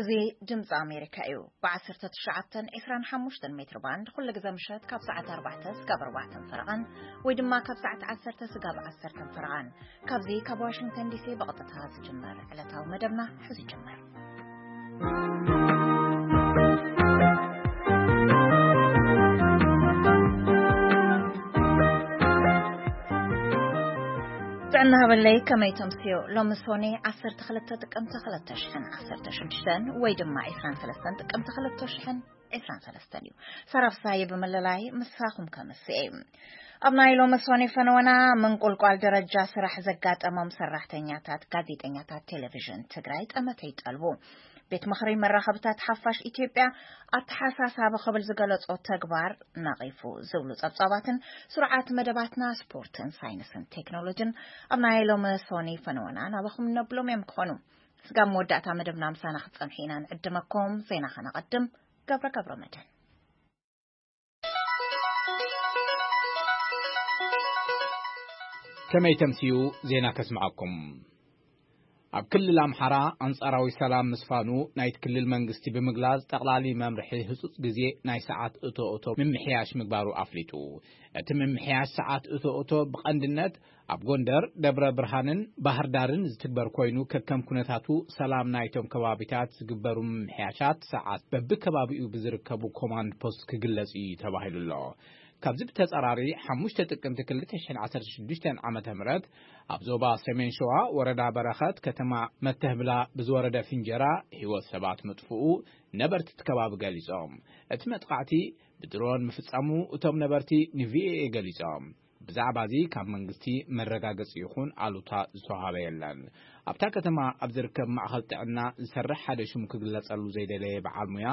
እዚ ድምፂ ኣሜሪካ እዩ። ብ19፣ 25 ሜትር ባንድ ኩሉ ግዜ ምሸት ካብ ሰዓት ኣርባዕተ ስጋብ ኣርባዕተን ፈረቓን፣ ወይ ድማ ካብ ሰዓት ዓሰርተ ስጋብ ዓሰርተን ፈረቓን፣ ካብዚ ካብ ዋሽንግተን ዲሲ ብቐጥታ ዝጅመር ዕለታዊ መደብና ሕዚ ይጅመር። ጥዕና ሃበለይ፣ ከመይ ተምስዮ? ሎሚ ሶኔ ዓሰርተ ክልተ ጥቅምቲ ክልተ ሽሕን ዓሰርተ ሽዱሽተን ወይ ድማ ዕስራን ሰለስተን ጥቅምቲ ክልተ ሽሕን ዕስራን ሰለስተን እዩ። ሰራፍሳይ ብምልላይ ምሳኹም ከምስኤ። ኣብ ናይ ሎሚ ሶኔ ፈነወና፣ ምንቁልቋል ደረጃ ስራሕ ዘጋጠሞም ሰራሕተኛታት ጋዜጠኛታት ቴሌቪዥን ትግራይ ጠመተ ይጠልቡ። ቤት ምኽሪ መራኸብታት ሓፋሽ ኢትዮጵያ ኣተሓሳሳቢ ክብል ዝገለጾ ተግባር ነቒፉ ዝብሉ ጸብጻባትን ስሩዓት መደባትና ስፖርትን ሳይንስን ቴክኖሎጅን ኣብ ናይ ሎሚ ሶኒ ፈነወና ናባኹም ነብሎም እዮም ክኾኑ። ስጋብ መወዳእታ መደብና ምሳና ክትጸንሑ ኢና ንዕድመኩም። ዜና ከነቐድም። ገብረ ገብረ መድህን። ከመይ ተምስዩ? ዜና ከስምዓኩም። ኣብ ክልል ኣምሓራ ኣንጻራዊ ሰላም ምስፋኑ ናይቲ ክልል መንግስቲ ብምግላጽ፣ ጠቕላሊ መምርሒ ህጹጽ ግዜ ናይ ሰዓት እቶ እቶ ምምሕያሽ ምግባሩ ኣፍሊጡ። እቲ ምምሕያሽ ሰዓት እቶ እቶ ብቐንድነት ኣብ ጎንደር፣ ደብረ ብርሃንን ባህር ዳርን ዝትግበር ኮይኑ፣ ከከም ኩነታቱ ሰላም ናይቶም ከባቢታት ዝግበሩ ምምሕያሻት ሰዓት በብከባቢኡ ብዝርከቡ ኮማንድ ፖስት ክግለጽ እዩ ተባሂሉ ኣሎ። ካብዚ ብተጻራሪ፣ ሓሙሽተ ጥቅምቲ ክልተ ሽሕን ዓሰርተ ሽዱሽተን ዓመተ ምህረት ኣብ ዞባ ሰሜን ሸዋ ወረዳ በረኸት ከተማ መተህብላ ብዝወረደ ፍንጀራ ህይወት ሰባት ምጥፍኡ ነበርቲ እቲ ከባቢ ገሊጾም። እቲ መጥቃዕቲ ብድሮን ምፍጻሙ እቶም ነበርቲ ንቪኦኤ ገሊጾም። ብዛዕባ እዚ ካብ መንግስቲ መረጋገጺ ይኹን ኣሉታ ዝተዋሃበ የለን። ኣብታ ከተማ ኣብ ዝርከብ ማእኸል ጥዕና ዝሰርሕ ሓደ ሽሙ ክግለጸሉ ዘይደለየ በዓል ሙያ፣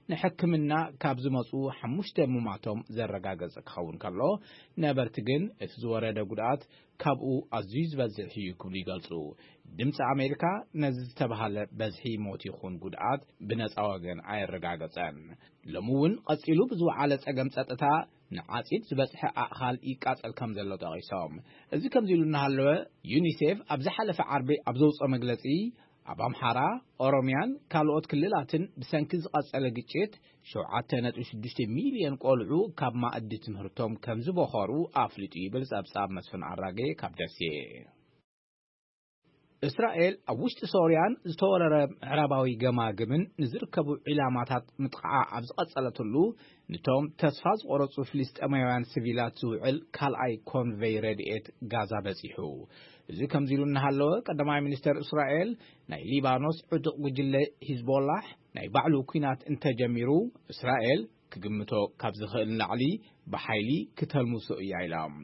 ንሕክምና ካብ ዝመጹ ሓሙሽተ ሙማቶም ዘረጋገጸ ክኸውን ከሎ፣ ነበርቲ ግን እቲ ዝወረደ ጉድኣት ካብኡ ኣዝዩ ዝበዝሕ እዩ ክብሉ ይገልጹ። ድምፂ ኣሜሪካ ነዚ ዝተባሃለ በዝሒ ሞት ይኹን ጉድኣት ብነፃ ወገን ኣየረጋገጸን። ሎሚ እውን ቀጺሉ ብዝወዓለ ጸገም ጸጥታ ንዓጺድ ዝበጽሐ ኣእኻል ይቃጸል ከም ዘሎ ጠቒሶም። እዚ ከምዚ ኢሉ እናሃለወ፣ ዩኒሴፍ ኣብ ዝሓለፈ ዓርቢ ኣብ ዘውፅኦ መግለጺ፣ ኣብ ኣምሓራ፣ ኦሮሚያን ካልኦት ክልላትን ብሰንኪ ዝቐጸለ ግጭት ሸውዓተ ነጥቢ ሽዱሽተ ሚልዮን ቆልዑ ካብ ማእዲ ትምህርቶም ከም ዝበኸሩ ኣፍሊጡ ይብል ጸብጻብ መስፍን ኣራጌ ካብ ደሴ። እስራኤል ኣብ ውሽጢ ሶርያን ዝተወረረ ምዕራባዊ ገማግምን ንዝርከቡ ዒላማታት ምጥቃዓ ኣብ ዝቐጸለትሉ፣ ንቶም ተስፋ ዝቆረጹ ፍልስጤማውያን ሲቪላት ዝውዕል ካልኣይ ኮንቨይ ረድኤት ጋዛ በጺሑ። እዚ ከምዚ ኢሉ እናሃለወ፣ ቀዳማይ ሚኒስተር እስራኤል፣ ናይ ሊባኖስ ዕጡቕ ጉጅለ ሂዝቦላሕ ናይ ባዕሉ ኲናት እንተጀሚሩ፣ እስራኤል ክግምቶ ካብ ዝኽእል ንላዕሊ ብሓይሊ ክተልምሶ እያ ኢሎም።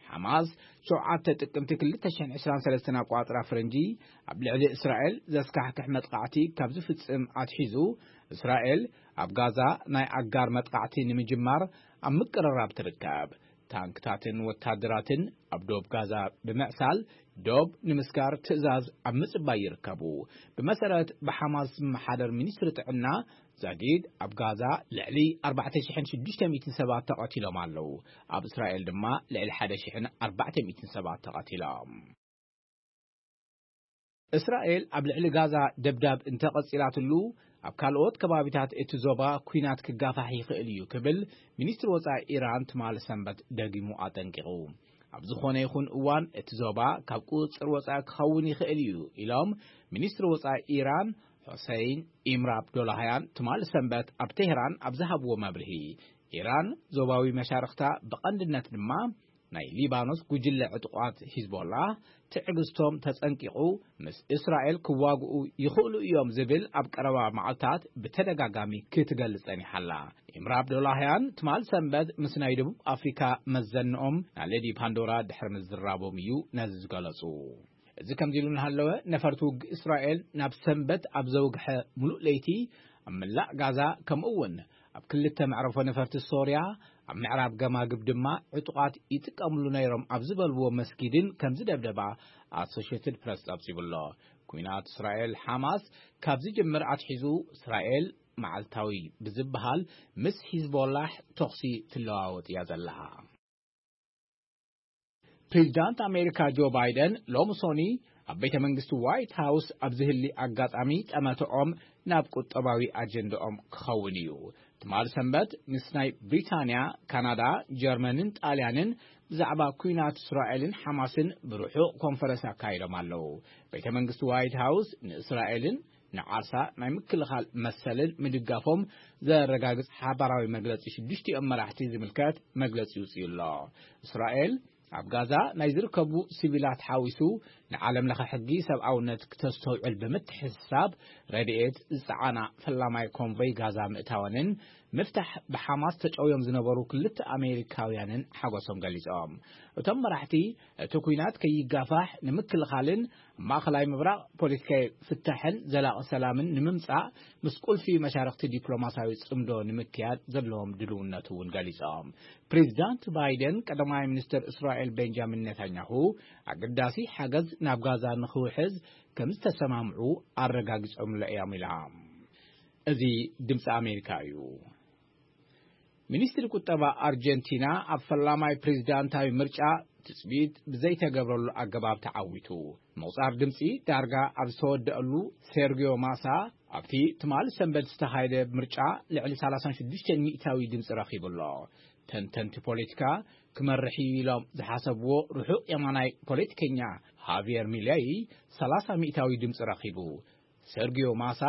ሓማስ ሸውዓተ ጥቅምቲ ክልተ ሽሕን ዕስራን ሰለስተን ኣቋጽራ ፈረንጂ ኣብ ልዕሊ እስራኤል ዘስካሕክሕ መጥቃዕቲ ካብ ዝፍጽም ኣትሒዙ፣ እስራኤል ኣብ ጋዛ ናይ ኣጋር መጥቃዕቲ ንምጅማር ኣብ ምቅርራብ ትርከብ። ታንክታትን ወታደራትን ኣብ ዶብ ጋዛ ብምዕሳል፣ ዶብ ንምስጋር ትእዛዝ ኣብ ምጽባይ ይርከቡ። ብመሰረት ብሓማስ ዝመሓደር ሚኒስትሪ ጥዕና፣ ዛጊድ ኣብ ጋዛ ልዕሊ ኣርባዕተ ሽሕን ሽዱሽተ ሚእትን ሰባት ተቐቲሎም ኣለዉ። ኣብ እስራኤል ድማ ልዕሊ ሓደ ሽሕን ኣርባዕተ ሚእትን ሰባት ተቐቲሎም። እስራኤል ኣብ ልዕሊ ጋዛ ደብዳብ እንተቐጺላትሉ፣ ኣብ ካልኦት ከባቢታት እቲ ዞባ ኲናት ክጋፋሕ ይኽእል እዩ ክብል ሚኒስትሪ ወጻኢ ኢራን ትማሊ ሰንበት ደጊሙ ኣጠንቂቑ። ኣብ ዝኾነ ይኹን እዋን እቲ ዞባ ካብ ቁጽጽር ወጻኢ ክኸውን ይኽእል እዩ ኢሎም ሚኒስትሪ ወጻኢ ኢራን ሑሰይን ኢምር ኣብዶላህያን ትማሊ ሰንበት ኣብ ቴህራን ኣብ ዝሃብዎ መብርሂ፣ ኢራን ዞባዊ መሻርኽታ ብቐንድነት ድማ ናይ ሊባኖስ ጉጅለ ዕጡቓት ሂዝቦላ ትዕግስቶም ተጸንቂቑ ምስ እስራኤል ክዋግኡ ይኽእሉ እዮም ዝብል ኣብ ቀረባ መዓልታት ብተደጋጋሚ ክትገልጽ ጸኒሓ ኣላ። ኢምር ኣብዶላህያን ትማል ሰንበት ምስ ናይ ደቡብ ኣፍሪካ መዘንኦም ናለዲ ፓንዶራ ድሕሪ ምዝራቦም እዩ ነዚ ዝገለጹ። እዚ ከምዚ ኢሉ እናሃለወ፣ ነፈርቲ ውግእ እስራኤል ናብ ሰንበት ኣብ ዘውግሐ ሙሉእ ለይቲ ኣብ መላእ ጋዛ፣ ከምኡ እውን ኣብ ክልተ መዕረፎ ነፈርቲ ሶርያ፣ ኣብ ምዕራብ ገማግብ ድማ ዕጡቓት ይጥቀምሉ ነይሮም ኣብ ዝበልዎ መስጊድን ከም ዝደብደባ ኣሶሽየትድ ፕረስ ጸብጺቡ ኣሎ። ኲናት እስራኤል ሓማስ ካብ ዝጅምር ኣትሒዙ፣ እስራኤል መዓልታዊ ብዝበሃል ምስ ሂዝቦላሕ ተኹሲ ትለዋወጥ እያ ዘላ። ፕሬዚዳንት ኣሜሪካ ጆ ባይደን ሎሚ ሶኒ ኣብ ቤተ መንግስቲ ዋይት ሃውስ ኣብ ዝህሊ ኣጋጣሚ ጠመትኦም ናብ ቁጠባዊ ኣጀንዳኦም ክኸውን እዩ። ትማሊ ሰንበት ምስ ናይ ብሪታንያ፣ ካናዳ፣ ጀርመንን ጣልያንን ብዛዕባ ኩናት እስራኤልን ሓማስን ብርሑቕ ኮንፈረንስ ኣካይዶም ኣለዉ። ቤተ መንግስቲ ዋይት ሃውስ ንእስራኤልን ንዓርሳ ናይ ምክልኻል መሰልን ምድጋፎም ዘረጋግጽ ሓባራዊ መግለጺ ሽዱሽቲኦም መራሕቲ ዝምልከት መግለጺ ይውጽእ ኣሎ። እስራኤል ኣብ ጋዛ ናይ ዝርከቡ ሲቪላት ሓዊሱ ንዓለም ለኸ ሕጊ ሰብኣውነት ክተስተውዕል ብምትሕስሳብ ረድኤት ዝጸዓና ፈላማይ ኮንቮይ ጋዛ ምእታወንን ምፍታሕ ብሓማስ ተጨውዮም ዝነበሩ ክልተ ኣሜሪካውያንን ሓጎሶም ገሊጾም። እቶም መራሕቲ እቲ ኩናት ከይጋፋሕ ንምክልኻልን ኣብ ማእኸላይ ምብራቕ ፖለቲካዊ ፍታሕን ዘላቒ ሰላምን ንምምጻእ ምስ ቁልፊ መሻርክቲ ዲፕሎማሲያዊ ጽምዶ ንምክያድ ዘለዎም ድልውነት እውን ገሊጾም። ፕሬዚዳንት ባይደን ቀዳማይ ሚኒስትር እስራኤል ቤንጃሚን ኔታንያሁ ኣገዳሲ ሓገዝ ናብ ጋዛ ንኽውሕዝ ከም ዝተሰማምዑ ኣረጋጊጾምሎ እዮም ኢላ። እዚ ድምፂ ኣሜሪካ እዩ። ሚኒስትሪ ቁጠባ ኣርጀንቲና ኣብ ፈላማይ ፕሬዚዳንታዊ ምርጫ ትጽቢት ብዘይተገብረሉ ኣገባብ ተዓዊቱ። ምቑጻር ድምጺ ዳርጋ ኣብ ዝተወደኣሉ ሴርጊዮ ማሳ ኣብቲ ትማሊ ሰንበት ዝተኻየደ ምርጫ ልዕሊ ሰላሳ ሽዱሽተ ሚእታዊ ድምጺ ረኺቡ ኣሎ። ተንተንቲ ፖለቲካ ክመርሕ እዩ ኢሎም ዝሓሰብዎ ርሑቕ የማናይ ፖለቲከኛ ሃቪየር ሚለይ ሰላሳ ሚእታዊ ድምጺ ረኺቡ። ሰርጊዮ ማሳ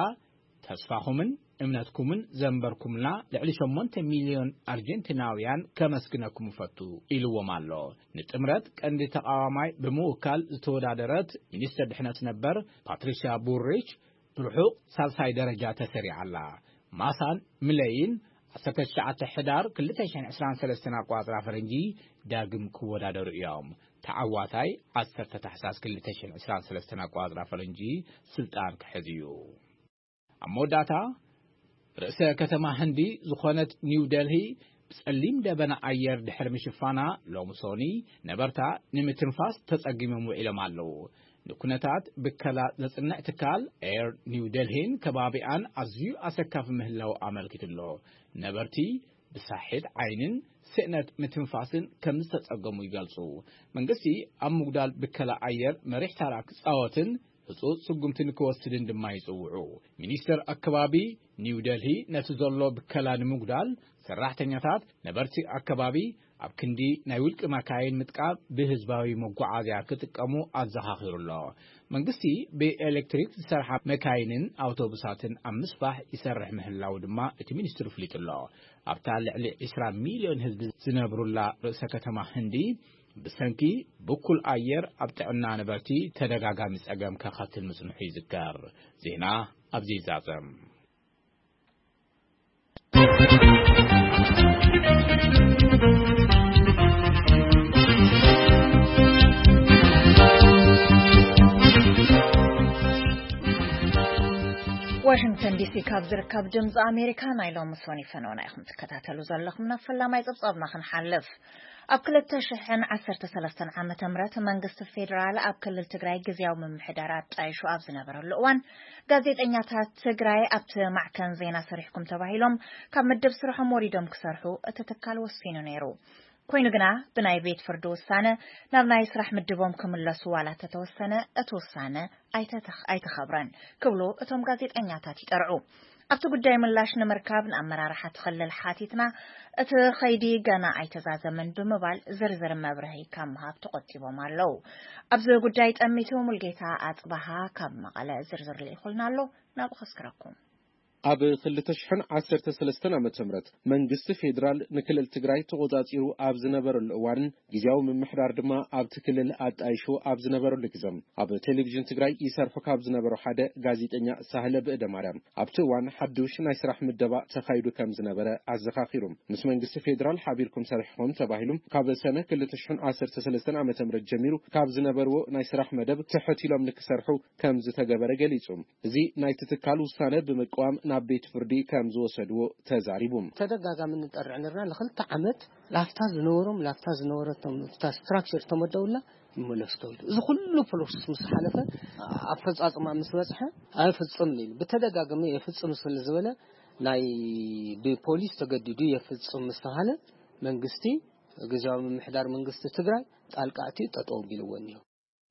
ተስፋኹምን እምነትኩምን ዘንበርኩምልና ልዕሊ ሸሞንተ ሚልዮን ኣርጀንቲናውያን ከመስግነኩም እፈቱ ኢልዎም ኣሎ። ንጥምረት ቀንዲ ተቓዋማይ ብምውካል ዝተወዳደረት ሚኒስትር ድሕነት ነበር ፓትሪሲያ ቡሪች ብርሑቕ ሳልሳይ ደረጃ ተሰሪዓ ኣላ። ማሳን ምለይን ዓሰርተ ትሽዓተ ሕዳር ክልተ ሽሕን ዕስራን ሰለስተን ኣቋጽራ ፈረንጂ ዳግም ክወዳደሩ እዮም። ተዓዋታይ ዓሰርተ ታሕሳስ ክልተ ሽሕን ዕስራን ሰለስተን ኣቋጽራ ፈረንጂ ስልጣን ክሕዝ እዩ። ኣብ መወዳእታ ርእሰ ከተማ ህንዲ ዝኾነት ኒው ደልሂ ብጸሊም ደበና ኣየር ድሕሪ ምሽፋና ሎሚ ሶኒ ነበርታ ንምትንፋስ ተጸጊሞም ውዒሎም ኣለዉ። ንኩነታት ብከላ ዘጽንዕ ትካል ኤር ኒው ደልሂን ከባቢኣን ኣዝዩ ኣሰካፊ ምህላው ኣመልኪቱ ኣሎ። ነበርቲ ብሳሒት ዓይንን ስእነት ምትንፋስን ከም ዝተጸገሙ ይገልጹ። መንግስቲ ኣብ ምጉዳል ብከላ ኣየር መሪሕ ታራ ክጻወትን ህጹጽ ስጉምቲ ንክወስድን ድማ ይጽውዑ። ሚኒስተር ኣከባቢ ኒው ደልሂ ነቲ ዘሎ ብከላ ንምጉዳል ሰራሕተኛታት ነበርቲ ኣከባቢ ኣብ ክንዲ ናይ ውልቂ መካይን ምጥቃም ብህዝባዊ መጓዓዝያ ክጥቀሙ ኣዘኻኺሩ ኣሎ። መንግስቲ ብኤሌክትሪክ ዝሰርሓ መካይንን ኣውቶቡሳትን ኣብ ምስፋሕ ይሰርሕ ምህላው ድማ እቲ ሚኒስትሪ ኣፍሊጡ ኣሎ። ኣብታ ልዕሊ ዕስራ ሚልዮን ህዝቢ ዝነብሩላ ርእሰ ከተማ ህንዲ ብሰንኪ ብኩል ኣየር ኣብ ጥዕና ነበርቲ ተደጋጋሚ ጸገም ከኸትል ምጽንሑ ይዝከር። ዜና ኣብዚ ይዛዘም። ዋሽንግተን ዲሲ ካብ ዝርከብ ድምፂ ኣሜሪካ ናይ ሎሚ ሶኒ ፈነወና ኢኹም ትከታተሉ ዘለኹም። ናብ ፈላማይ ፀብፃብና ክንሓልፍ። ኣብ ክልተ ሽሕን ዓሰርተ ሰለስተን ዓመተ ምህረት መንግስቲ ፌዴራል ኣብ ክልል ትግራይ ግዝያዊ ምምሕዳር ኣጣይሹ ኣብ ዝነበረሉ እዋን፣ ጋዜጠኛታት ትግራይ ኣብቲ ማዕከን ዜና ሰሪሕኩም ተባሂሎም ካብ መደብ ስርሖም ወሪዶም ክሰርሑ እቲ ትካል ወሲኑ ነይሩ። ኮይኑ ግና ብናይ ቤት ፍርዲ ውሳነ ናብ ናይ ስራሕ ምድቦም ክምለሱ ዋላ ተተወሰነ፣ እቲ ውሳነ ኣይተተኽ-፣ ኣይተኸብረን ክብሉ እቶም ጋዜጠኛታት ይጠርዑ። ኣብቲ ጉዳይ ምላሽ ንምርካብ ንኣመራርሓ እቲ ክልል ሓቲትና፣ እቲ ኸይዲ ገና ኣይተዛዘመን ብምባል ዝርዝር መብርሂ ካብ ምሃብ ተቖጢቦም ኣለዉ። ኣብዚ ጉዳይ ጠሚቱ ሙልጌታ ኣጽባሃ ካብ መቐለ ዝርዝር ልኢኹልና ኣሎ፣ ናብኡ ከስክረኩም። ኣብ ክልተ ሽሕን ዓሰርተ ሰለስተን ዓመተ ምህረት መንግስቲ ፌዴራል ንክልል ትግራይ ተቖጻጺሩ ኣብ ዝነበረሉ እዋንን ግዝያዊ ምምሕዳር ድማ ኣብቲ ክልል ኣጣይሹ ኣብ ዝነበረሉ ግዘ፣ ኣብ ቴሌቪዥን ትግራይ ይሰርሑ ካብ ዝነበሩ ሓደ ጋዜጠኛ ሳህለ ብእደ ማርያም ኣብቲ እዋን ሓዱሽ ናይ ስራሕ ምደባ ተኻይዱ ከም ዝነበረ ኣዘኻኺሩ። ምስ መንግስቲ ፌዴራል ሓቢርኩም ሰሪሕኹም ተባሂሉ ካብ ሰነ ክልተ ሽሕን ዓሰርተ ሰለስተን ዓመተ ምህረት ጀሚሩ ካብ ዝነበርዎ ናይ ስራሕ መደብ ትሕት ኢሎም ንክሰርሑ ከም ዝተገበረ ገሊጹ። እዚ ናይቲ ትካል ውሳነ ብምቅዋም ናብ ቤት ፍርዲ ከም ዝወሰድዎ ተዛሪቡ። ተደጋጋሚ ንጠርዕ ነርና። ንክልተ ዓመት ላፍታ ዝነበሮም፣ ላፍታ ዝነበረቶም፣ እታ ስትራክቸር ተመደቡላ ይመለሱ ተብሉ። እዚ ኩሉ ፕሮሰስ ምስ ሓለፈ፣ ኣፈጻጽማ ምስ በጽሐ፣ ኣይፍጽም ኢሉ ብተደጋጋሚ የፍጽም ስለ ዝበለ፣ ናይ ብፖሊስ ተገዲዱ የፍጽም ምስ ተባሃለ፣ መንግስቲ ግዝያዊ ምምሕዳር መንግስቲ ትግራይ ጣልቃ ኣትዩ ጠጠው ኣቢልዎ እኒሆ።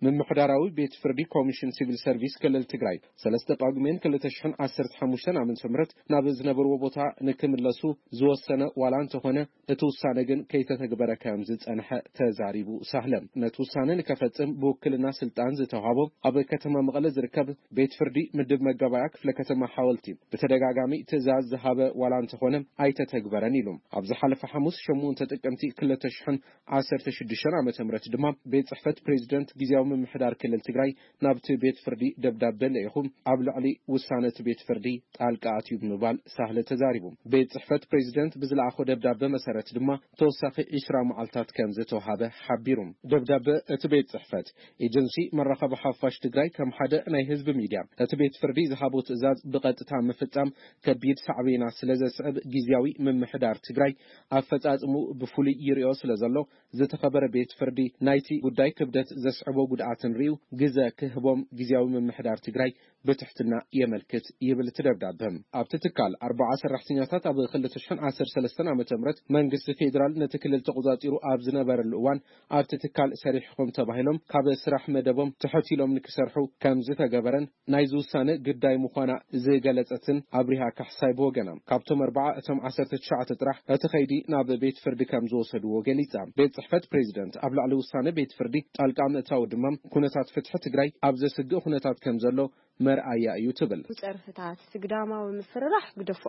ምምሕዳራዊ ቤት ፍርዲ ኮሚሽን ሲቪል ሰርቪስ ክልል ትግራይ ሰለስተ ጳጉሜን ክልተ ሽሕን ዓሰርተ ሓሙሽተን ዓመተ ምህረት ናብ ዝነበርዎ ቦታ ንክምለሱ ዝወሰነ ዋላ እንተኾነ እቲ ውሳነ ግን ከይተተግበረ ከም ዝጸንሐ ተዛሪቡ ሳህለ። ነቲ ውሳነ ንከፈጽም ብውክልና ስልጣን ዝተዋሃቦ ኣብ ከተማ መቐለ ዝርከብ ቤት ፍርዲ ምድብ መጋባእያ ክፍለ ከተማ ሓወልቲ ብተደጋጋሚ ትእዛዝ ዝሃበ ዋላ እንተኾነ ኣይተተግበረን ኢሉ። ኣብ ዝሓለፈ ሓሙስ ሸሞንተ ጥቅምቲ ክልተ ሽሕን ዓሰርተ ሽዱሽተን ዓመተ ምህረት ድማ ቤት ጽሕፈት ፕሬዚደንት ግዝያዊ ምምሕዳር ክልል ትግራይ ናብቲ ቤት ፍርዲ ደብዳበ ልኢኹ ኣብ ልዕሊ ውሳነ እቲ ቤት ፍርዲ ጣልቃ ኣትዩ ብምባል ሳህለ ተዛሪቡ። ቤት ጽሕፈት ፕሬዚደንት ብዝለኣኾ ደብዳበ መሰረት ድማ ተወሳኺ ዕስራ መዓልታት ከም ዝተውሃበ ሓቢሩ። ደብዳበ እቲ ቤት ጽሕፈት ኤጀንሲ መራኸቢ ሓፋሽ ትግራይ ከም ሓደ ናይ ህዝቢ ሚድያ እቲ ቤት ፍርዲ ዝሃቦ ትእዛዝ ብቐጥታ ምፍጻም ከቢድ ሳዕቤና ስለ ዘስዕብ ግዝያዊ ምምሕዳር ትግራይ ኣፈጻጽሙ ብፍሉይ ይሪኦ ስለ ዘሎ ዝተኸበረ ቤት ፍርዲ ናይቲ ጉዳይ ክብደት ዘስዕቦ ጉድኣትን ሪኡ ግዘ ክህቦም ግዝያዊ ምምሕዳር ትግራይ ብትሕትና የመልክት ይብል እቲ ደብዳበ። ኣብቲ ትካል ኣርባዓ ሰራሕተኛታት ኣብ ክልተ ሽሕን ዓሰርተ ሰለስተን ዓመተ ምህረት መንግስቲ ፌዴራል ነቲ ክልል ተቆጻጺሩ ኣብ ዝነበረሉ እዋን ኣብቲ ትካል ሰሪሕኹም ተባሂሎም ካብ ስራሕ መደቦም ትሕት ኢሎም ንክሰርሑ ከም ዝተገበረን ናይዚ ውሳነ ግዳይ ምዃና ዝገለጸትን ኣብሪሃ ካሕሳይ ብወገና ካብቶም ኣርባዓ እቶም ዓሰርተ ትሽዓተ ጥራሕ እቲ ኸይዲ ናብ ቤት ፍርዲ ከም ዝወሰድዎ ገሊጻ። ቤት ጽሕፈት ፕሬዚደንት ኣብ ልዕሊ ውሳነ ቤት ፍርዲ ጣልቃ ምእታው ድማ ኩነታት ፍትሒ ትግራይ ኣብ ዘስግእ ኩነታት ከም ዘሎ መርኣያ እዩ ትብል። ጸርፍታት፣ ስግዳማዊ ምፍርራሕ ግደፎ፣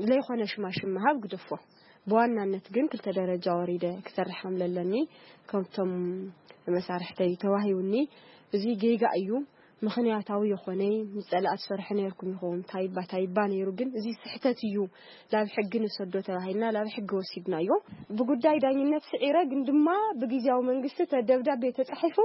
ዘይኮነ ሽማሽም ምሃብ ግደፎ። ብዋናነት ግን ክልተ ደረጃ ወሪደ ክሰርሕ ከም ለለኒ ከምቶም መሳርሕተይ ተዋሂቡኒ። እዚ ጌጋ እዩ። ምኽንያታዊ የኾነይ ምስ ጸላእት ሰርሐ ነይርኩም ይኸውን ታይባ ታይባ ነይሩ፣ ግን እዚ ስሕተት እዩ፣ ላብ ሕጊ ንሰዶ ተባሂልና ላብ ሕጊ ወሲድናዮ። ብጉዳይ ዳኝነት ስዒረ፣ ግን ድማ ብግዜያዊ መንግስቲ ተደብዳቤ ተጻሒፉ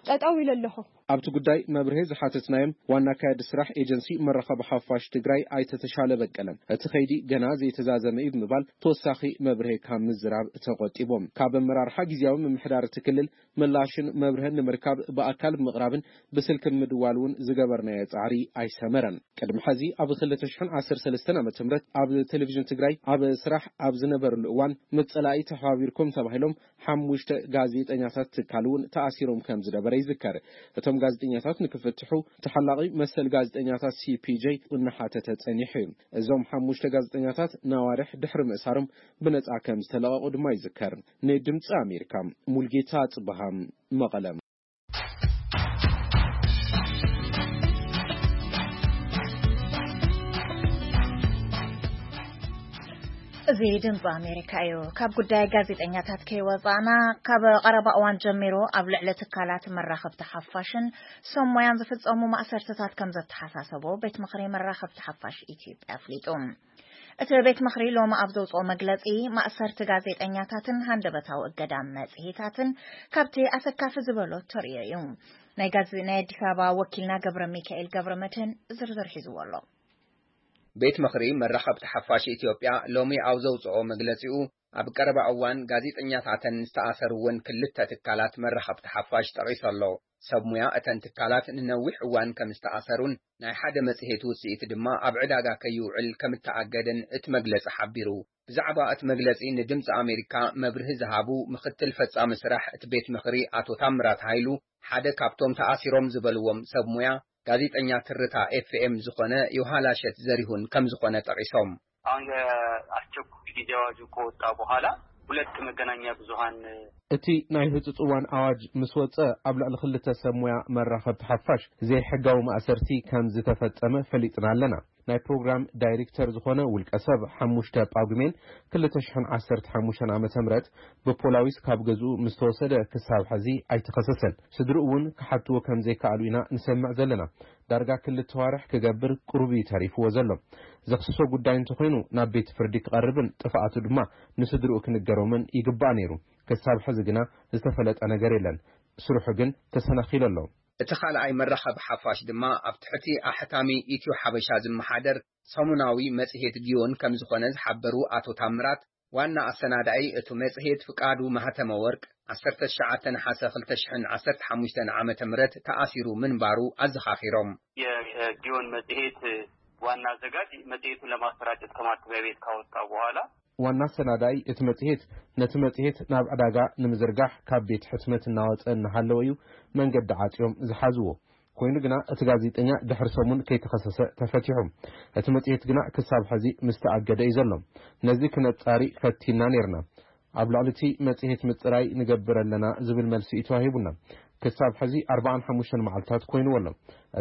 ጠጠው ኢለ ኣለኹ። ኣብቲ ጉዳይ መብርሄ ዝሓተትናዮም ዋና ኣካያዲ ስራሕ ኤጀንሲ መራኸቢ ሓፋሽ ትግራይ ኣይተ ተሻለ በቀለ እቲ ኸይዲ ገና ዘይተዛዘመ እዩ ብምባል ተወሳኺ መብርሄ ካብ ምዝራብ ተቆጢቦም። ካብ ኣመራርሓ ግዜያዊ ምምሕዳር እቲ ክልል ምላሽን መብርህን ንምርካብ ብኣካል ብምቕራብን ብስልኪ ምድዋል እውን ዝገበርናዮ ጻዕሪ ኣይሰመረን። ቅድሚ ሕዚ ኣብ ክልተ ሽሕን ዓሰርተ ሰለስተን ዓመተ ምህረት ኣብ ቴሌቪዥን ትግራይ ኣብ ስራሕ ኣብ ዝነበርሉ እዋን ምስ ጸላኢ ተሓባቢርኩም ተባሂሎም ሓሙሽተ ጋዜጠኛታት ትካል እውን ተኣሲሮም ከም ዝነበረ ይዝከር። እቶም ጋዜጠኛታት ንክፍትሑ ተሓላቒ መሰል ጋዜጠኛታት ሲ ፒ ጄ እናሓተተ ጸኒሑ እዩ። እዞም ሓሙሽተ ጋዜጠኛታት ነዋርሕ ድሕሪ ምእሳሮም ብነጻ ከም ዝተለቐቑ ድማ ይዝከር። ንድምፂ ኣሜሪካ ሙልጌታ ጽበሃ መቐለ። እዚ ድምፂ ኣሜሪካ እዩ። ካብ ጉዳይ ጋዜጠኛታት ከይወፃእና፣ ካብ ቀረባ እዋን ጀሚሩ ኣብ ልዕሊ ትካላት መራኸብቲ ሓፋሽን ሰብ ሞያን ዝፍፀሙ ማእሰርትታት ከም ዘተሓሳሰቦ ቤት ምኽሪ መራኸብቲ ሓፋሽ ኢትዮጵያ ኣፍሊጡ። እቲ ቤት ምኽሪ ሎሚ ኣብ ዘውፅኦ መግለፂ፣ ማእሰርቲ ጋዜጠኛታትን ሃንደበታዊ እገዳ መፅሄታትን ካብቲ ኣሰካፊ ዝበሎ ተርእዮ እዩ። ናይ ጋዜ-፣ ናይ ኣዲስ ኣበባ ወኪልና ገብረ ሚካኤል ገብረ መድህን ዝርዝር ሒዝዎ ኣሎ። ቤት ምኽሪ መራኸብቲ ሓፋሽ ኢትዮጵያ ሎሚ ኣብ ዘውፅኦ መግለፂኡ፣ ኣብ ቀረባ እዋን ጋዜጠኛታተን ዝተኣሰሩ እውን ክልተ ትካላት መራኸብቲ ሓፋሽ ጠቒሱ ኣሎ። ሰብ ሙያ እተን ትካላት ንነዊሕ እዋን ከም ዝተኣሰሩን ናይ ሓደ መጽሔት ውጽኢት ድማ ኣብ ዕዳጋ ከይውዕል ከም እተኣገደን እቲ መግለጺ ሓቢሩ። ብዛዕባ እቲ መግለጺ ንድምጺ ኣሜሪካ መብርሂ ዝሃቡ ምኽትል ፈጻሚ ስራሕ እቲ ቤት ምኽሪ ኣቶ ታምራት ሃይሉ፣ ሓደ ካብቶም ተኣሲሮም ዝበልዎም ሰብ ሙያ ጋዜጠኛ ትርታ ኤፍ ኤም ዝኾነ ዮሃላሸት ዘሪሁን ከም ዝኾነ ጠቒሶም። አሁን የአስቸኳይ ጊዜ አዋጁ ከወጣ በኋላ ሁለት መገናኛ ብዙሃን እቲ ናይ ህጹጽ እዋን ኣዋጅ ምስ ወጸ፣ ኣብ ልዕሊ ክልተ ሰብ ሞያ መራኸብቲ ሓፋሽ ዘይሕጋዊ ማእሰርቲ ከም ዝተፈጸመ ፈሊጥና ኣለና። ናይ ፕሮግራም ዳይሬክተር ዝኾነ ውልቀ ሰብ፣ ሓሙሽተ ጳጉሜን ክልተ ሽሕን ዓሰርተ ሓሙሽተን ዓመተ ምህረት ብፖላዊስ ካብ ገዝኡ ምስ ተወሰደ፣ ክሳብ ሕዚ ኣይተኸሰሰን። ስድርኡ እውን ክሓትዎ ከም ዘይከኣሉ ኢና ንሰምዕ ዘለና። ዳርጋ ክልተ ዋርሕ ክገብር ቅሩብ እዩ ተሪፍዎ ዘሎ። ዘኽስሶ ጉዳይ እንተኾይኑ ናብ ቤት ፍርዲ ክቐርብን ጥፍኣቱ ድማ ንስድርኡ ክንገሮምን ይግባእ ነይሩ። ክሳብ ሕዚ ግና ዝተፈለጠ ነገር የለን። ስርሑ ግን ተሰናኺሉ ኣሎ። እቲ ካልኣይ መራኸቢ ሓፋሽ ድማ ኣብ ትሕቲ ኣሕታሚ ኢትዮ ሓበሻ ዝመሓደር ሰሙናዊ መጽሔት ጊዮን ከም ዝኾነ ዝሓበሩ ኣቶ ታምራት፣ ዋና ኣሰናዳኢ እቲ መጽሔት ፍቃዱ ማህተመ ወርቅ፣ ዓሰርተ ትሽዓተ ነሓሰ ክልተ ሽሕን ዓሰርተ ሓሙሽተን ዓመተ ምህረት ተኣሲሩ ምንባሩ ኣዘኻኺሮም። የጊዮን መጽሔት ዋና አዘጋጅ መጽሔቱን ለማሰራጨት ከማተሚያ ቤት ካወጣው በኋላ ዋና አሰናዳኢ እቲ መጽሔት ነቲ መጽሔት ናብ ዕዳጋ ንምዝርጋሕ ካብ ቤት ሕትመት እናወጸ እናሃለወ እዩ መንገዲ ዓጽዮም ዝሓዝዎ። ኮይኑ ግና እቲ ጋዜጠኛ ድሕሪ ሰሙን ከይተኸሰሰ ተፈቲሑ። እቲ መጽሔት ግና ክሳብ ሕዚ ምስ ተኣገደ እዩ ዘሎ። ነዚ ክነጻሪ ፈቲና ነይርና። ኣብ ልዕሊ እቲ መጽሔት ምጽራይ ንገብር ኣለና ዝብል መልሲ እዩ ተዋሂቡና። ክሳብ ሕዚ ኣርባዓን ሓሙሽተን መዓልታት ኮይንዎ ኣሎ።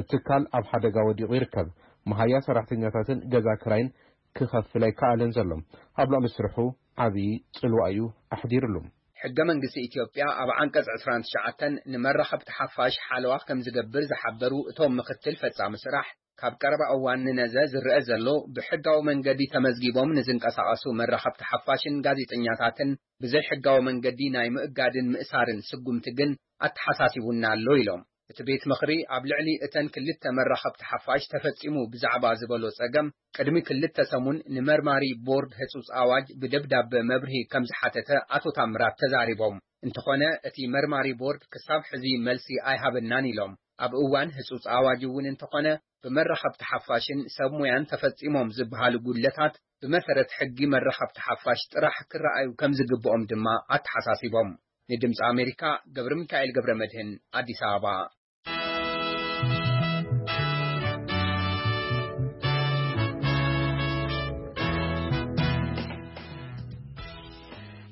እቲ ትካል ኣብ ሓደጋ ወዲቑ ይርከብ። መሃያ ሰራሕተኛታትን ገዛ ክራይን ክኸፍል ኣይከኣለን ዘሎ። ኣብ ልዕሊ ስርሑ ዓብዪ ጽልዋ እዩ ኣሕዲርሉ። ሕገ መንግስቲ ኢትዮጵያ ኣብ ዓንቀጽ ዕስራን ትሽዓተን ንመራኸብቲ ሓፋሽ ሓለዋ ከም ዝገብር ዝሓበሩ እቶም ምክትል ፈጻሚ ስራሕ፣ ካብ ቀረባ እዋን ንነዘ ዝረአ ዘሎ ብሕጋዊ መንገዲ ተመዝጊቦም ንዝንቀሳቐሱ መራኸብቲ ሓፋሽን ጋዜጠኛታትን ብዘይ ሕጋዊ መንገዲ ናይ ምእጋድን ምእሳርን ስጉምቲ ግን ኣተሓሳሲቡና ኣሎ ኢሎም። እቲ ቤት ምኽሪ ኣብ ልዕሊ እተን ክልተ መራኸብቲ ሓፋሽ ተፈጺሙ ብዛዕባ ዝበሎ ጸገም ቅድሚ ክልተ ሰሙን ንመርማሪ ቦርድ ህጹጽ ኣዋጅ ብደብዳበ መብርሂ ከም ዝሓተተ ኣቶ ታምራት ተዛሪቦም። እንተኾነ እቲ መርማሪ ቦርድ ክሳብ ሕዚ መልሲ ኣይሃበናን ኢሎም። ኣብ እዋን ህጹጽ ኣዋጅ እውን እንተኾነ ብመራኸብቲ ሓፋሽን ሰብ ሞያን ተፈጺሞም ዝበሃሉ ጉድለታት ብመሰረት ሕጊ መራኸብቲ ሓፋሽ ጥራሕ ክረኣዩ ከም ዝግብኦም ድማ ኣተሓሳሲቦም። ንድምፂ ኣሜሪካ ገብረ ሚካኤል ገብረ መድህን ኣዲስ ኣበባ።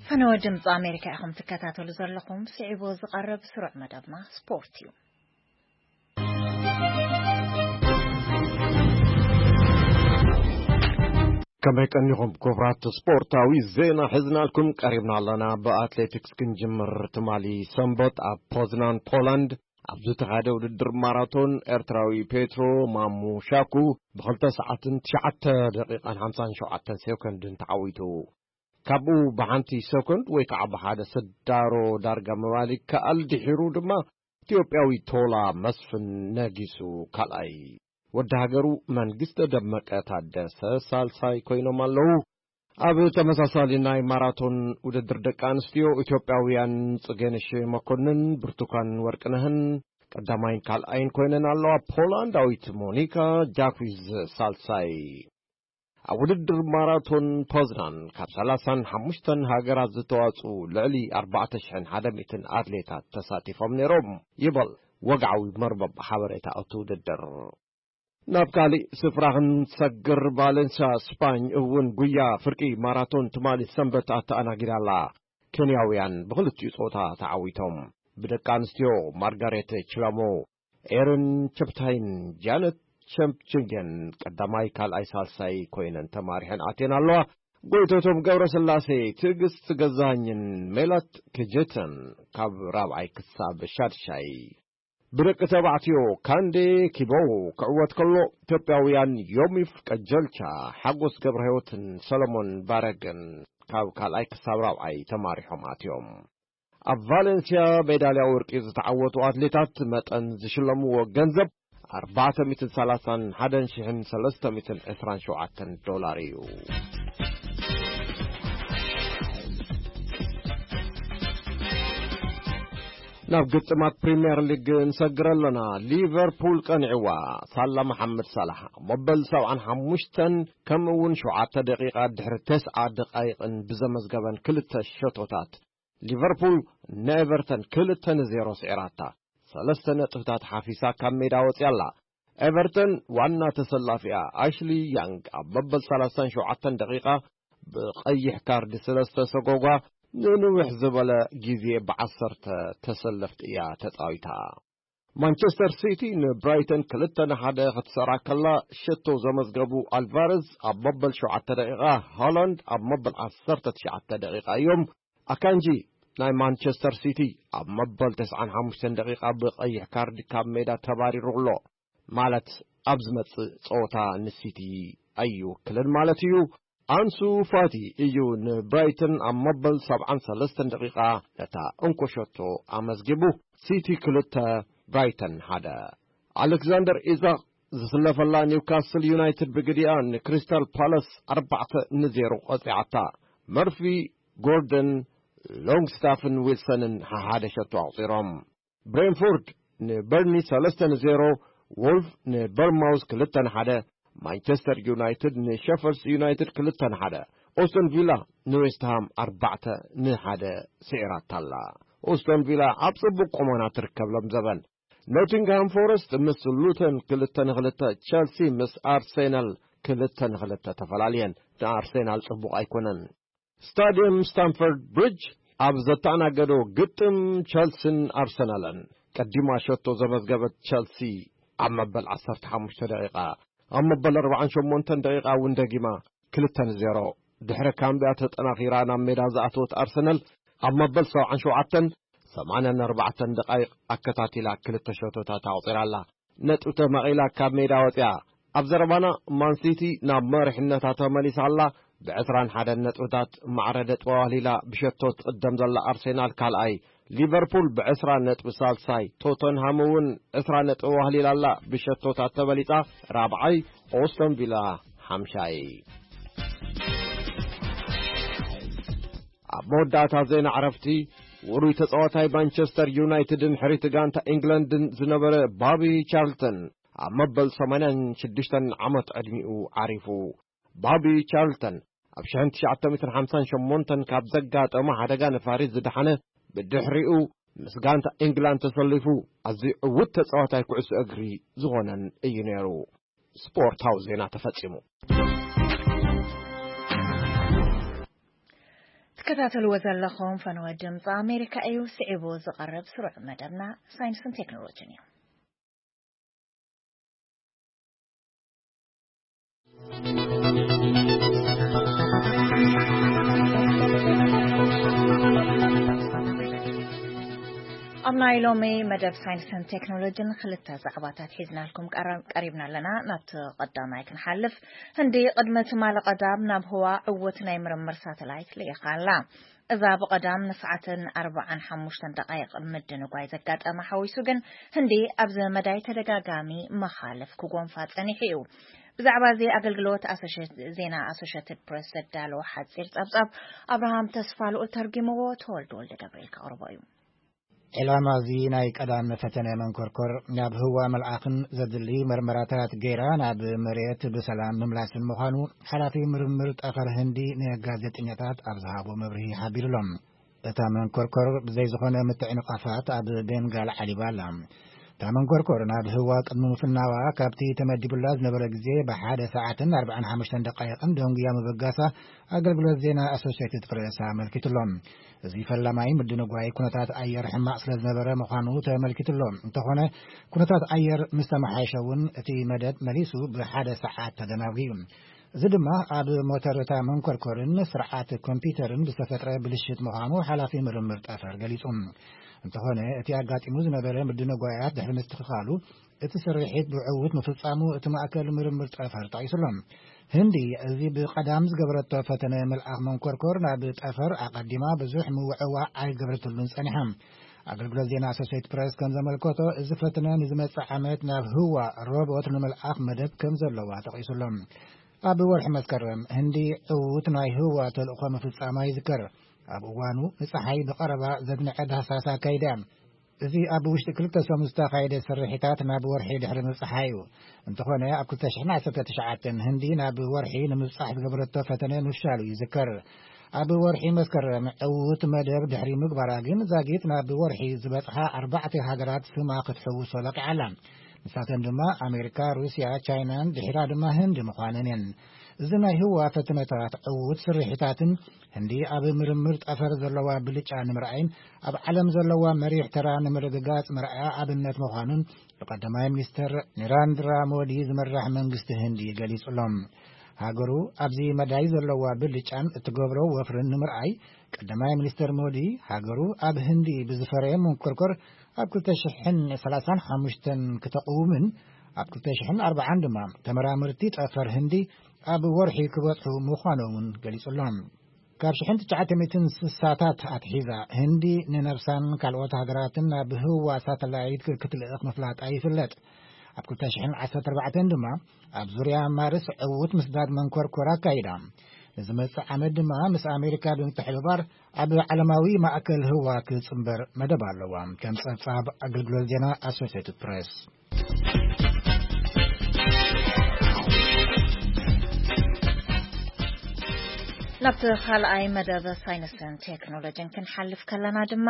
ፈነወ ድምፂ ኣሜሪካ ኢኹም ትከታተሉ ዘለኹም። ስዒቡ ዝቐርብ ስሩዕ መደብና ስፖርት እዩ። ከመይ ቀኒኹም ክቡራት? ስፖርታዊ ዜና ሒዝናልኩም ቀሪብና ኣለና። ብኣትሌቲክስ ክንጅምር። ትማሊ ሰንበት ኣብ ፖዝናን ፖላንድ ኣብ ዝተኻየደ ውድድር ማራቶን ኤርትራዊ ፔትሮ ማሙ ሻኩ ብኽልተ ሰዓትን ትሽዓተ ደቂቓን ሓምሳን ሸውዓተን ሴኮንድን ተዓዊቱ። ካብኡ ብሓንቲ ሰኮንድ ወይ ከዓ ብሓደ ስዳሮ ዳርጋ ምባል ይከኣል። ድሒሩ ድማ ኢትዮጵያዊ ቶላ መስፍን ነጊሱ ካልኣይ። ወዲ ሃገሩ መንግስተ ደመቀ ታደሰ ሳልሳይ ኮይኖም ኣለዉ። ኣብ ተመሳሳሊ ናይ ማራቶን ውድድር ደቂ ኣንስትዮ ኢትዮጵያውያን ጽጌነሽ መኮንን፣ ብርቱካን ወርቅነህን ቀዳማይን ካልኣይን ኮይነን ኣለዋ። ፖላንዳዊት ሞኒካ ጃኩዊዝ ሳልሳይ። ኣብ ውድድር ማራቶን ፖዝናን ካብ ሰላሳን ሓሙሽተን ሃገራት ዝተዋጽኡ ልዕሊ ኣርባዕተ ሽሕን ሓደ ሚእትን ኣትሌታት ተሳቲፎም ነይሮም ይበል ወግዓዊ መርበብ ሓበሬታ እቲ ውድድር። ናብ ካሊእ ስፍራ ክንሰግር፣ ቫለንሲያ ስፓኝ እውን ጉያ ፍርቂ ማራቶን ትማሊ ሰንበት ኣተኣናጊዳ ኣላ። ኬንያውያን ብኽልቲኡ ጾታ ተዓዊቶም። ብደቂ ኣንስትዮ ማርጋሬት ችላሞ፣ ኤረን ቸፕታይን ጃነት ቸምፕችንገን ቀዳማይ፣ ካልኣይ፣ ሳልሳይ ኮይነን ተማሪሐን ኣትየን ኣለዋ። ጎይቶቶም ገብረስላሴ፣ ትዕግስት ገዛኸኝን ሜላት ክጀተን ካብ ራብዓይ ክሳብ ሻድሻይ። ብደቂ ተባዕትዮ ካንዴ ኪቦ ክዕወት ከሎ፣ ኢትዮጵያውያን ዮሚፍ ቀጀልቻ፣ ሓጎስ ገብረህይወትን ሰለሞን ባረግን ካብ ካልኣይ ክሳብ ራብዓይ ተማሪሖም ኣትዮም። ኣብ ቫሌንሲያ ሜዳልያ ወርቂ ዝተዓወቱ ኣትሌታት መጠን ዝሽለምዎ ገንዘብ ኣርባዕተ ሚእትን ሰላሳን ሓደን ሽሕን ሰለስተ ሚእትን ዕስራን ሸውዓተን ዶላር እዩ። ናብ ግጥማት ፕሪምየር ሊግ እንሰግር ኣለና። ሊቨርፑል ቀኒዕዋ። ሳላ መሓመድ ሳላሕ ኣብ መበል ሰብዓን ሓሙሽተን ከምኡ እውን ሸውዓተ ደቂቓ ድሕሪ ተስዓ ደቃይቕን ብዘመዝገበን ክልተ ሸቶታት ሊቨርፑል ንኤቨርተን ክልተ ንዜሮ ስዒራታ። ሰለስተ ነጥብታት ሓፊሳ ካብ ሜዳ ወፂኣ ኣላ። ኤቨርተን ዋና ተሰላፊኣ ኣሽሊ ያንግ ኣብ መበል ሰላሳን ሸውዓተን ደቂቓ ብቐይሕ ካርድ ስለ ዝተሰጎጓ፣ ንንውሕ ዝበለ ግዜ ብዓሰርተ ተሰለፍቲ እያ ተጻዊታ። ማንቸስተር ሲቲ ንብራይተን ክልተ ንሓደ ክትሰራ ከላ፣ ሸቶ ዘመዝገቡ ኣልቫረዝ ኣብ መበል ሸውዓተ ደቂቓ፣ ሃላንድ ኣብ መበል ዓሰርተ ትሽዓተ ደቂቓ እዮም። ኣካንጂ ናይ ማንቸስተር ሲቲ ኣብ መበል ተስዓን ሓሙሽተን ደቂቓ ብቐይሕ ካርድ ካብ ሜዳ ተባሪሩ ኣሎ። ማለት ኣብ ዝመጽእ ጸወታ ንሲቲ ኣይውክልን ማለት እዩ። ኣንሱ ፋቲ እዩ ንብራይተን ኣብ መበል ሰብዓን ሰለስተን ደቂቓ ነታ እንኮ ሸቶ ኣመዝጊቡ። ሲቲ ክልተ፣ ብራይተን ሓደ። ኣሌክዛንደር ኢዛቕ ዝስለፈላ ኒውካስል ዩናይትድ ብግዲኣ ንክሪስታል ፓላስ ኣርባዕተ ንዜሮ ቀጺዓታ። መርፊ፣ ጎርደን፣ ሎንግስታፍን ዊልሰንን ሓሓደ ሸቶ ኣቑጺሮም። ብሬንፎርድ ንበርኒ ሰለስተ ንዜሮ፣ ዎልፍ ንበርማውዝ ክልተ ንሓደ፣ ማንቸስተር ዩናይትድ ንሸፈልስ ዩናይትድ ክልተ ንሓደ፣ ኦስቶን ቪላ ንዌስትሃም ኣርባዕተ ንሓደ ስዒራታ ኣላ። ኦስቶን ቪላ ኣብ ጽቡቕ ቁመና ትርከብ ሎም ዘበን። ኖቲንግሃም ፎረስት ምስ ሉተን ክልተ ንክልተ፣ ቸልሲ ምስ ኣርሴናል ክልተ ንክልተ ተፈላልየን። ንኣርሴናል ጽቡቕ ኣይኮነን። ስታድየም ስታንፈርድ ብሪጅ ኣብ ዘተኣናገዶ ግጥም ቸልሲን ኣርሰናልን፣ ቀዲማ ሸቶ ዘመዝገበት ቸልሲ ኣብ መበል ዓሰርተ ሓሙሽተ ደቂቃ፣ ኣብ መበል ኣርባዓን ሸሞንተን ደቂቃ እውን ደጊማ ክልተ ንዜሮ ድሕሪ ካምቢያ ተጠናኺራ ናብ ሜዳ ዝኣተወት ኣርሰናል፣ ኣብ መበል ሰብዓን ሸውዓተን ሰማንያን ኣርባዕተን ደቃይቕ ኣከታቲላ ክልተ ሸቶታት ኣቑጺራ ኣላ። ነጥቢ ተማቒላ ካብ ሜዳ ወጺኣ። ኣብ ዘረባና፣ ማንሲቲ ናብ መሪሕነታ ተመሊሳ ኣላ። ብ ዕስራን ሓደን ነጥብታት ማዕረ ነጥቢ ኣዋህሊላ ብሸቶ ትቕደም ዘላ ኣርሴናል ካልኣይ፣ ሊቨርፑል ብ ዕስራ ነጥቢ ሳልሳይ፣ ቶተንሃም እውን ዕስራ ነጥቢ ኣዋህሊላ ኣላ። ብሸቶታት ተበሊጻ ራብዓይ፣ ኦስቶን ቪላ ሓምሻይ። ኣብ መወዳእታ ዜና ዕረፍቲ፣ ውሩይ ተጻዋታይ ማንቸስተር ዩናይትድን ሕሪቲ ጋንታ ኢንግላንድን ዝነበረ ባቢ ቻርልተን ኣብ መበል ሰማንያን ሽዱሽተን ዓመት ዕድሚኡ ዓሪፉ። ባቢ ቻርልተን ኣብ ሽሕን ትሽዓተ ሚእትን ሓምሳን ሸሞንተን ካብ ዘጋጠሞ ሓደጋ ነፋሪት ዝደሓነ፣ ብድሕሪኡ ምስ ጋንታ ኢንግላንድ ተሰሊፉ ኣዝዩ ዕዉት ተጻዋታይ ኩዕሶ እግሪ ዝኾነን እዩ ነይሩ። ስፖርታዊ ዜና ተፈጺሙ። ትከታተልዎ ዘለኹም ፈነወ ድምፂ ኣሜሪካ እዩ። ስዒቡ ዝቐርብ ስሩዕ መደብና ሳይንስን ቴክኖሎጂን እዩ። ኣብ ናይ ሎሚ መደብ ሳይንስን ቴክኖሎጂን ክልተ ዛዕባታት ሒዝናልኩም ቀረ-፣ ቀሪብና ኣለና። ናብቲ ቀዳማይ ክንሓልፍ፣ ህንዲ ቅድሚ ትማሊ ቀዳም ናብ ህዋ ዕዉት ናይ ምርምር ሳተላይት ልኢኻ ኣላ። እዛ ብቐዳም ንሰዓትን ኣርባዓን ሓሙሽተን ደቃይቕ ምድንጓይ ዘጋጠማ ሓዊሱ ግን፣ ህንዲ ኣብዚ መዳይ ተደጋጋሚ መኻልፍ ክጎንፋ ጸኒሑ እዩ። ብዛዕባ እዚ ኣገልግሎት ኣሶሼት-፣ ዜና ኣሶሼትድ ፕሬስ ዘዳለዎ ሓጺር ጸብጻብ ኣብርሃም ተስፋ ልኡል ተርጊምዎ፣ ተወልደ ወልደ ገብርኤል ከቕርቦ እዩ። ዕላማ እዚ ናይ ቀዳም ፈተነ መንኮርኮር ናብ ህዋ መልኣኽን ዘድሊ መርመራታት ገይራ ናብ መሬት ብሰላም ምምላስን ምዃኑ ሓላፊ ምርምር ጠፈር ህንዲ ንጋዜጠኛታት ኣብ ዝሃቦ መብርሂ ሓቢሩሎም። እታ መንኮርኮር ብዘይ ዝኾነ ምትዕንቓፋት ኣብ ቤንጋል ዓሊባ ኣላ። እታ መንኮርኮር ናብ ህዋ ቅድሚ ምፍናዋ ካብቲ ተመዲቡላ ዝነበረ ግዜ ብሓደ ሰዓትን ኣርባዓን ሓሙሽተን ደቃይቕን ደንጉያ ምብጋሳ ኣገልግሎት ዜና ኣሶሼትድ ፕሬስ ኣመልኪቱሎ። እዚ ፈላማይ ምድንጓይ ኩነታት ኣየር ሕማቕ ስለ ዝነበረ ምዃኑ ተመልኪቱሎ። እንተኾነ ኩነታት ኣየር ምስ ተመሓየሸ እውን እቲ መደብ መሊሱ ብሓደ ሰዓት ተደናጒዩ። እዚ ድማ ኣብ ሞተር እታ መንኮርኮርን ስርዓት ኮምፒውተርን ብዝተፈጥረ ብልሽት ምዃኑ ሓላፊ ምርምር ጠፈር ገሊጹ። እንተኾነ እቲ ኣጋጢሙ ዝነበረ ምድንጓያት ድሕሪ ምስትኽኻሉ እቲ ስርሒት ብዕዉት ምፍጻሙ እቲ ማእከል ምርምር ጠፈር ጠቒሱሎ። ህንዲ እዚ ብቐዳም ዝገበረቶ ፈተነ መልኣኽ መንኮርኮር ናብ ጠፈር ኣቐዲማ ብዙሕ ምውዕዋዕ ኣይገበረትሉን ጸኒሓ። ኣገልግሎት ዜና ኣሶሴትድ ፕሬስ ከም ዘመልከቶ፣ እዚ ፈተነ ንዝመጽእ ዓመት ናብ ህዋ ሮቦት ንምልኣኽ መደብ ከም ዘለዋ ጠቒሱሎ። ኣብ ወርሒ መስከረም ህንዲ ዕዉት ናይ ህዋ ተልእኾ ምፍጻማ ይዝከር። ኣብ እዋኑ ንጸሓይ ብቐረባ ዘድንዐ ዳህሳስ ኣካይዳ እያ። እዚ ኣብ ውሽጢ ክልተ ሰሙን ዝተኻየደ ስርሒታት ናብ ወርሒ ድሕሪ ምብጻሓ እዩ። እንተኾነ፣ ኣብ ክልተ ሽሕን ዓሰርተ ትሽዓተን ህንዲ ናብ ወርሒ ንምብጻሕ ዝገበረቶ ፈተነ ምፍሻሉ ይዝከር። ኣብ ወርሒ መስከረም ዕዉት መደብ ድሕሪ ምግባራ ግን፣ ዛጊት ናብ ወርሒ ዝበጽሓ ኣርባዕተ ሃገራት ስማ ክትሕውሶ በቒዓ ኣላ። ንሳተን ድማ ኣሜሪካ፣ ሩስያ፣ ቻይናን ድሒራ ድማ ህንዲ ምዃነን እየን። እዚ ናይ ህዋ ፈተነታት ዕዉት ስርሒታትን ህንዲ ኣብ ምርምር ጠፈር ዘለዋ ብልጫ ንምርኣይን ኣብ ዓለም ዘለዋ መሪሕ ተራ ንምርግጋጽ መርኣያ ኣብነት ምዃኑን ብቀዳማይ ሚኒስተር ኒራንድራ ሞዲ ዝምራሕ መንግስቲ ህንዲ ገሊጹ ኣሎ። ሃገሩ ኣብዚ መዳይ ዘለዋ ብልጫን እትገብሮ ወፍርን ንምርኣይ፣ ቀዳማይ ሚኒስተር ሞዲ ሃገሩ ኣብ ህንዲ ብዝፈረየ መንኮርኮር ኣብ ክልተ ሽሕን ሰላሳን ሓሙሽተን ክተቕውምን ኣብ ክልተ ሽሕን ኣርባዓን ድማ ተመራመርቲ ጠፈር ህንዲ ኣብ ወርሒ ክበጽሑ ምዃኖም እውን ገሊጹ ኣሎ። ካብ ሽሕን ትሽዓተ ሚእትን ስሳታት ኣትሒዛ ህንዲ ንነብሳን ካልኦት ሃገራትን ናብ ህዋ ሳተላይት ክትልእኽ ምፍላጣ ይፍለጥ። ኣብ ክልተ ሽሕን ዓሰርተ ኣርባዕተን ድማ ኣብ ዙርያ ማርስ ዕዉት ምስዳድ መንኮርኮር ኣካይዳ። ንዝመጽእ ዓመት ድማ ምስ ኣሜሪካ ብምትሕብባር ኣብ ዓለማዊ ማእከል ህዋ ክጽንበር መደብ ኣለዋ። ከም ጸብጻብ ኣገልግሎት ዜና ኣሶሴትድ ፕሬስ። ናብቲ ካልኣይ መደብ ሳይንስን ቴክኖሎጂን ክንሓልፍ ከለና ድማ፣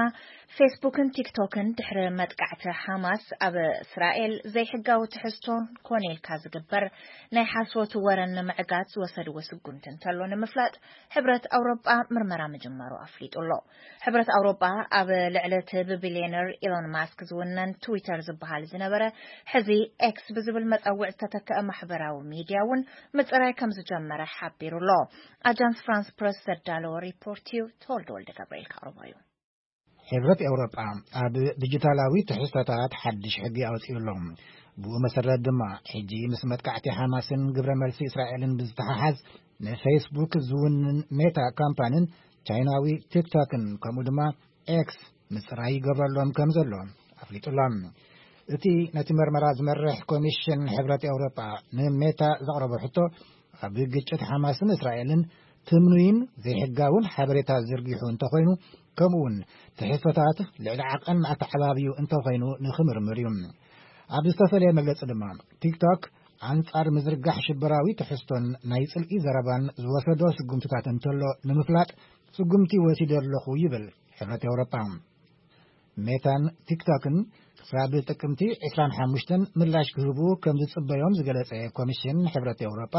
ፌስቡክን ቲክቶክን ድሕሪ መጥቃዕቲ ሓማስ ኣብ እስራኤል ዘይሕጋዊ ትሕዝቶ ኮነ ኢልካ ዝግበር ናይ ሓሶት ወረን ንምዕጋት ዝወሰድዎ ስጉምቲ እንተሎ ንምፍላጥ፣ ሕብረት ኣውሮጳ ምርመራ ምጅማሩ ኣፍሊጡ ኣሎ። ሕብረት ኣውሮጳ ኣብ ልዕሊ እቲ ብቢልዮነር ኢሎን ማስክ ዝውነን ትዊተር ዝበሃል ዝነበረ፣ ሕዚ ኤክስ ብዝብል መጸውዕ ዝተተከአ ማሕበራዊ ሚድያ እውን ምጽራይ ከም ዝጀመረ ሓቢሩ ኣሎ። ኣጃንስ ፍራንስ ፕረስ ዘዳለዎ ሪፖርት እዩ። ተወልደ ወልደ ገብርኤል ከቕርቦ እዩ። ሕብረት ኤውሮጳ ኣብ ዲጂታላዊ ትሕዝቶታት ሓድሽ ሕጊ ኣውጺኡ ኣሎ። ብኡ መሰረት ድማ፣ ሕጂ ምስ መጥቃዕቲ ሓማስን ግብረ መልሲ እስራኤልን ብዝተሓሓዝ፣ ንፌስቡክ ዝውንን ሜታ ካምፓንን ቻይናዊ ቲክቶክን፣ ከምኡ ድማ ኤክስ፣ ምጽራይ ይገብረሎም ከም ዘሎ ኣፍሊጡ ኣሎ። እቲ ነቲ መርመራ ዝመርሕ ኮሚሽን ሕብረት ኤውሮጳ ንሜታ ዘቕረቦ ሕቶ፣ ኣብ ግጭት ሓማስን እስራኤልን ትምኑይን ዘይሕጋውን ሓበሬታ ዝርጊሑ እንተኾይኑ፣ ከምኡ እውን ትሕዝቶታት ልዕሊ ዓቐን ኣተዓባብዩ እንተኾይኑ ንኽምርምር እዩ። ኣብ ዝተፈለየ መግለጺ ድማ፣ ቲክቶክ ኣንጻር ምዝርጋሕ ሽበራዊ ትሕዝቶን ናይ ጽልኢ ዘረባን ዝወሰዶ ስጉምትታት እንተሎ ንምፍላጥ ስጉምቲ ወሲደ ኣለኹ ይብል ሕብረት ኤውሮጳ። ሜታን ቲክቶክን ክሳብ ጥቅምቲ ዕስራን ሓሙሽተን ምላሽ ክህቡ ከም ዝጽበዮም ዝገለጸ ኮሚሽን ሕብረት ኤውሮጳ፣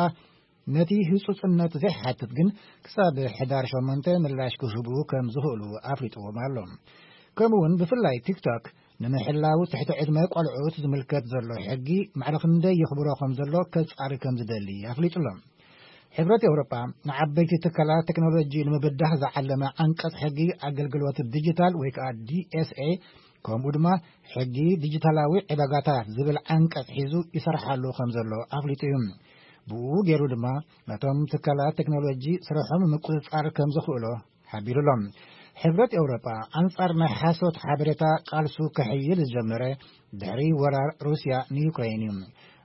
ነቲ ህጹጽነት ዘይሓትት ግን ክሳብ ሕዳር ሸሞንተ ምላሽ ክህቡ ከም ዝኽእሉ ኣፍሊጥዎም ኣሎ። ከምኡ እውን ብፍላይ ቲክቶክ ንምሕላው ትሕቲ ዕድመ ቆልዑት ዝምልከት ዘሎ ሕጊ ማዕረ ክንደይ የኽብሮ ከም ዘሎ ከጻሪ ከም ዝደሊ ኣፍሊጡ ኣሎ። ሕብረት ኤውሮጳ ንዓበይቲ ትካላት ቴክኖሎጂ ንምብዳህ ዝዓለመ ዓንቀጽ ሕጊ ኣገልግሎት ዲጂታል ወይ ከዓ ዲኤስኤ፣ ከምኡ ድማ ሕጊ ዲጂታላዊ ዕዳጋታት ዝብል ዓንቀጽ ሒዙ ይሰርሓሉ ከም ዘሎ ኣፍሊጡ እዩ። ብኡ ገይሩ ድማ ነቶም ትካላት ቴክኖሎጂ ስርሖም ምቁጽጻር ከም ዝኽእሎ ሓቢሩ ኣሎ። ሕብረት ኤውሮጳ ኣንጻር ናይ ሓሶት ሓበሬታ ቃልሱ ከሕይል ዝጀመረ ድሕሪ ወራር ሩስያ ንዩክሬን እዩ።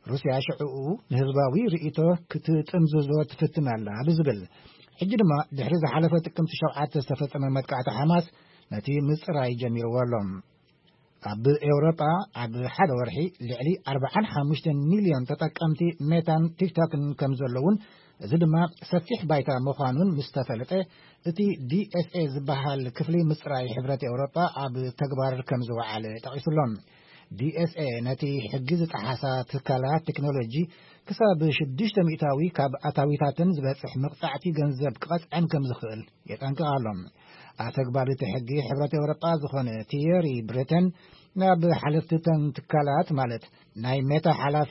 ሩስያ ሽዕኡ ንህዝባዊ ርእይቶ ክትጥምዝዞ ትፍትን ኣላ ብዝብል፣ ሕጂ ድማ ድሕሪ ዝሓለፈ ጥቅምቲ ሸውዓተ ዝተፈጸመ መጥቃዕቲ ሓማስ ነቲ ምጽራይ ጀሚርዎ ኣሎ። ኣብ ኤውሮጳ ኣብ ሓደ ወርሒ ልዕሊ ኣርባዓን ሓሙሽተን ሚልዮን ተጠቀምቲ ሜታን ቲክቶክን ከም ዘለውን፣ እዚ ድማ ሰፊሕ ባይታ ምዃኑን ምስ ተፈለጠ፣ እቲ ዲኤስኤ ዝበሃል ክፍሊ ምጽራይ ሕብረት ኤውሮጳ ኣብ ተግባር ከም ዝወዓለ ጠቒሱ ኣሎ። ዲኤስኤ ነቲ ሕጊ ዝጠሓሳ ትካላት ቴክኖሎጂ ክሳብ ሽዱሽተ ሚእታዊ ካብ ኣታዊታተን ዝበጽሕ መቕጻዕቲ ገንዘብ ክቐጽዐን ከም ዝኽእል የጠንቅቕ ኣሎ። ኣተግባሪ እቲ ሕጊ ሕብረት ኤውሮጳ ዝኾነ ቲየሪ ብሪተን፣ ናብ ሓለፍቲ እተን ትካላት፣ ማለት ናይ ሜታ ሓላፊ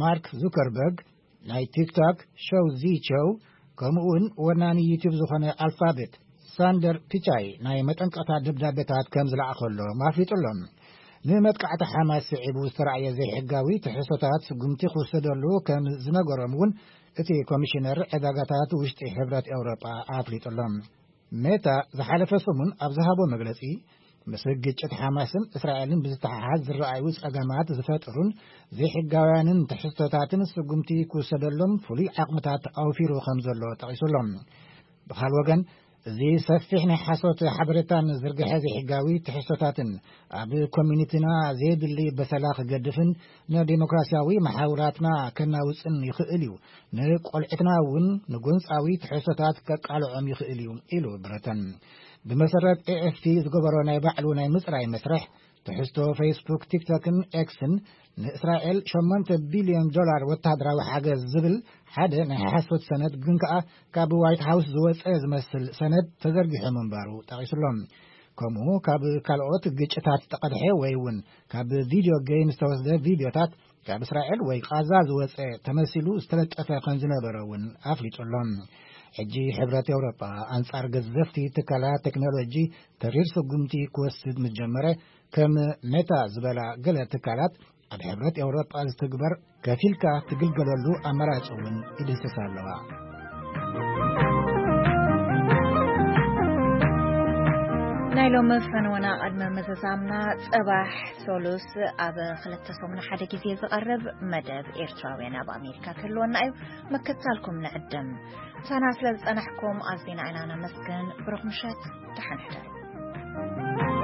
ማርክ ዙከርበርግ፣ ናይ ቲክቶክ ሸው ዚ ቸው፣ ከምኡ እውን ወናኒ ዩቱብ ዝኾነ ኣልፋቤት ሳንደር ፒቻይ ናይ መጠንቀቕታ ደብዳቤታት ከም ዝለኣኸሎም ኣፍሊጡ ኣሎ። ንመጥቃዕቲ ሓማስ ስዒቡ ዝተራእየ ዘይሕጋዊ ትሕዝቶታት ስጉምቲ ክውሰደሉ ከም ዝነገሮም እውን እቲ ኮሚሽነር ዕዳጋታት ውሽጢ ሕብረት ኤውሮጳ ኣፍሊጡ ኣሎ። ሜታ ዝሓለፈ ሰሙን ኣብ ዝሃቦ መግለጺ፣ ምስ ግጭት ሓማስን እስራኤልን ብዝተሓሓዝ ዝረኣዩ ጸገማት ዝፈጥሩን ዘይሕጋውያንን ትሕዝቶታትን ስጉምቲ ክውሰደሎም ፍሉይ ዓቕምታት ኣውፊሩ ከም ዘሎ ጠቒሱ ኣሎ። ብኻል ወገን፣ እዚ ሰፊሕ ናይ ሓሶት ሓበሬታን ዝርግሐ ዘይሕጋዊ ትሕዝቶታትን ኣብ ኮሚኒቲና ዘየድሊ በሰላ ክገድፍን ንዴሞክራሲያዊ መሓውራትና ከናውጽን ይኽእል እዩ። ንቆልዕትና እውን ንጎንጻዊ ትሕዝቶታት ከቃልዖም ይኽእል እዩ፣ ኢሉ ብረተን። ብመሰረት ኤኤፍፒ ዝገበሮ ናይ ባዕሉ ናይ ምጽራይ መስርሕ፣ ትሕዝቶ ፌስቡክ፣ ቲክቶክን ኤክስን ንእስራኤል ሸሞንተ ቢልዮን ዶላር ወተሃደራዊ ሓገዝ ዝብል ሓደ ናይ ሓሶት ሰነድ፣ ግን ከኣ ካብ ዋይት ሃውስ ዝወጸ ዝመስል ሰነድ ተዘርጊሑ ምንባሩ ጠቒሱሎም። ከምኡ ካብ ካልኦት ግጭታት ዝተቐድሐ ወይ እውን ካብ ቪድዮ ጌም ዝተወስደ ቪድዮታት፣ ካብ እስራኤል ወይ ቃዛ ዝወጸ ተመሲሉ ዝተለጠፈ ከም ዝነበረ እውን ኣፍሊጡ ኣሎ። ሕጂ ሕብረት ኤውሮጳ ኣንጻር ገዘፍቲ ትካላት ቴክኖሎጂ ተሪር ስጉምቲ ክወስድ ምስ ጀመረ፣ ከም ሜታ ዝበላ ገለ ትካላት ኣብ ሕብረት ኤውሮጳ ዝትግበር ከፊልካ ትግልገለሉ ኣማራጺ እውን ይድህስሳ ኣለዋ። ናይ ሎሚ ፈነወና ቅድሚ ምዝዛምና፣ ጽባሕ ሶሉስ ኣብ ክልተ ሰሙን ሓደ ግዜ ዝቐርብ መደብ ኤርትራውያን ኣብ ኣሜሪካ ክህልወና እዩ። ምክትታልኩም ንዕድም። ምሳና ስለ ዝጸናሕኩም ኣዚና ኢና ነመስግን። ብሩኽ ምሸት፣ ደሓን ሕደሩ።